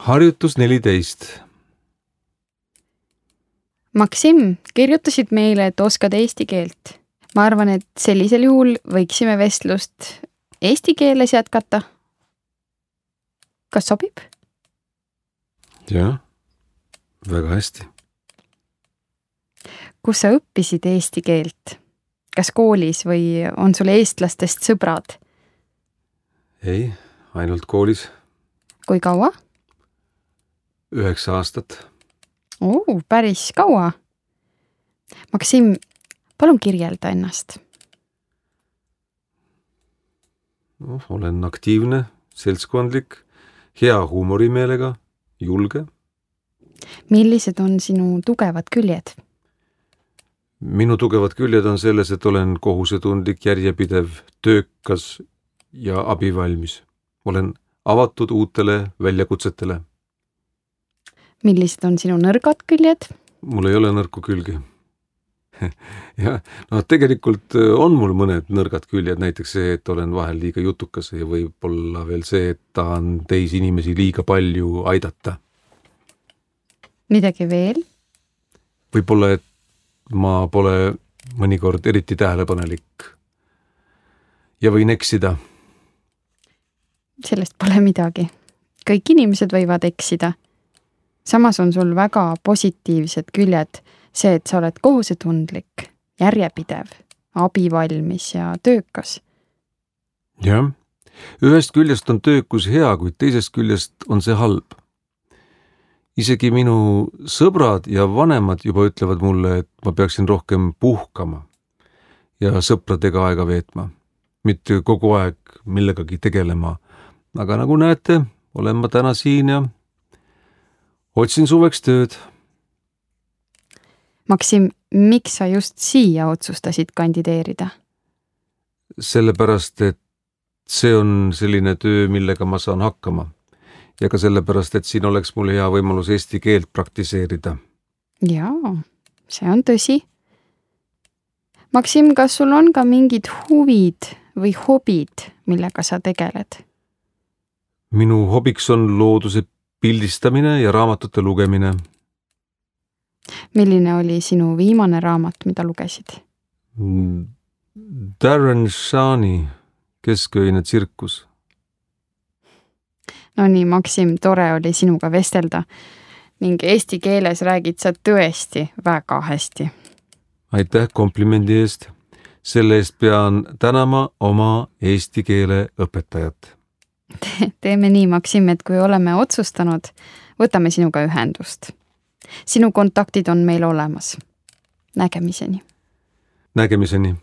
Harjutus 14. Maksim, kirjutasid meile, et oskad eesti keelt. Ma arvan, et sellisel juhul võiksime vestlust eesti keeles jätkata. Kas sobib? Jah, väga hästi. Kus sa õppisid eesti keelt? Kas koolis või on sul eestlastest sõbrad? Ei, ainult koolis. Kui kaua? 9 aastat. Päris kaua. Maksim, palun kirjelda ennast. Olen aktiivne, seltskondlik, hea huumorimeelega, julge. Millised on sinu tugevad küljed? Minu tugevad küljed on selles, et olen kohusetundlik, järjepidev, töökas ja abivalmis. Olen avatud uutele väljakutsetele. Millised on sinu nõrgad küljed? Mul ei ole nõrku külgi. Ja, tegelikult on mul mõned nõrgad küljed, näiteks see, et olen vahel liiga jutukas ja võib-olla veel see, et tahan teisi inimesi liiga palju aidata. Midagi veel? Võib-olla, et ma pole mõnikord eriti tähelepanelik ja võin eksida. Sellest pole midagi. Kõik inimesed võivad eksida. Samas on sul väga positiivsed küljed, see, et sa oled kohusetundlik, järjepidev, abivalmis ja töökas. Jah, ühest küljest on töökus hea, kuid teisest küljest on see halb. Isegi minu sõbrad ja vanemad juba ütlevad mulle, et ma peaksin rohkem puhkama ja sõpradega aega veetma, mitte kogu aeg millegagi tegelema. Aga nagu näete, olen ma täna siin ja otsin suveks tööd. Maksim, miks sa just siia otsustasid kandideerida? Sellepärast, et see on selline töö, millega ma saan hakkama. Ja ka sellepärast, et siin oleks mul hea võimalus eesti keelt praktiseerida. Jaa, see on tõsi. Maksim, kas sul on ka mingid huvid või hobid, millega sa tegeled? Minu hobiks on looduse pildistamine ja raamatute lugemine. Milline oli sinu viimane raamat, mida lugesid? Darren Shani Kesköine tsirkus. No nii, Maksim, tore oli sinuga vestelda ning eesti keeles räägid sa tõesti väga hästi. Aitäh komplimendi eest. Selle eest pean tänama oma eesti keele õpetajat. Teeme nii, Maksim, et kui oleme otsustanud, võtame sinuga ühendust. Sinu kontaktid on meil olemas. Nägemiseni. Nägemiseni.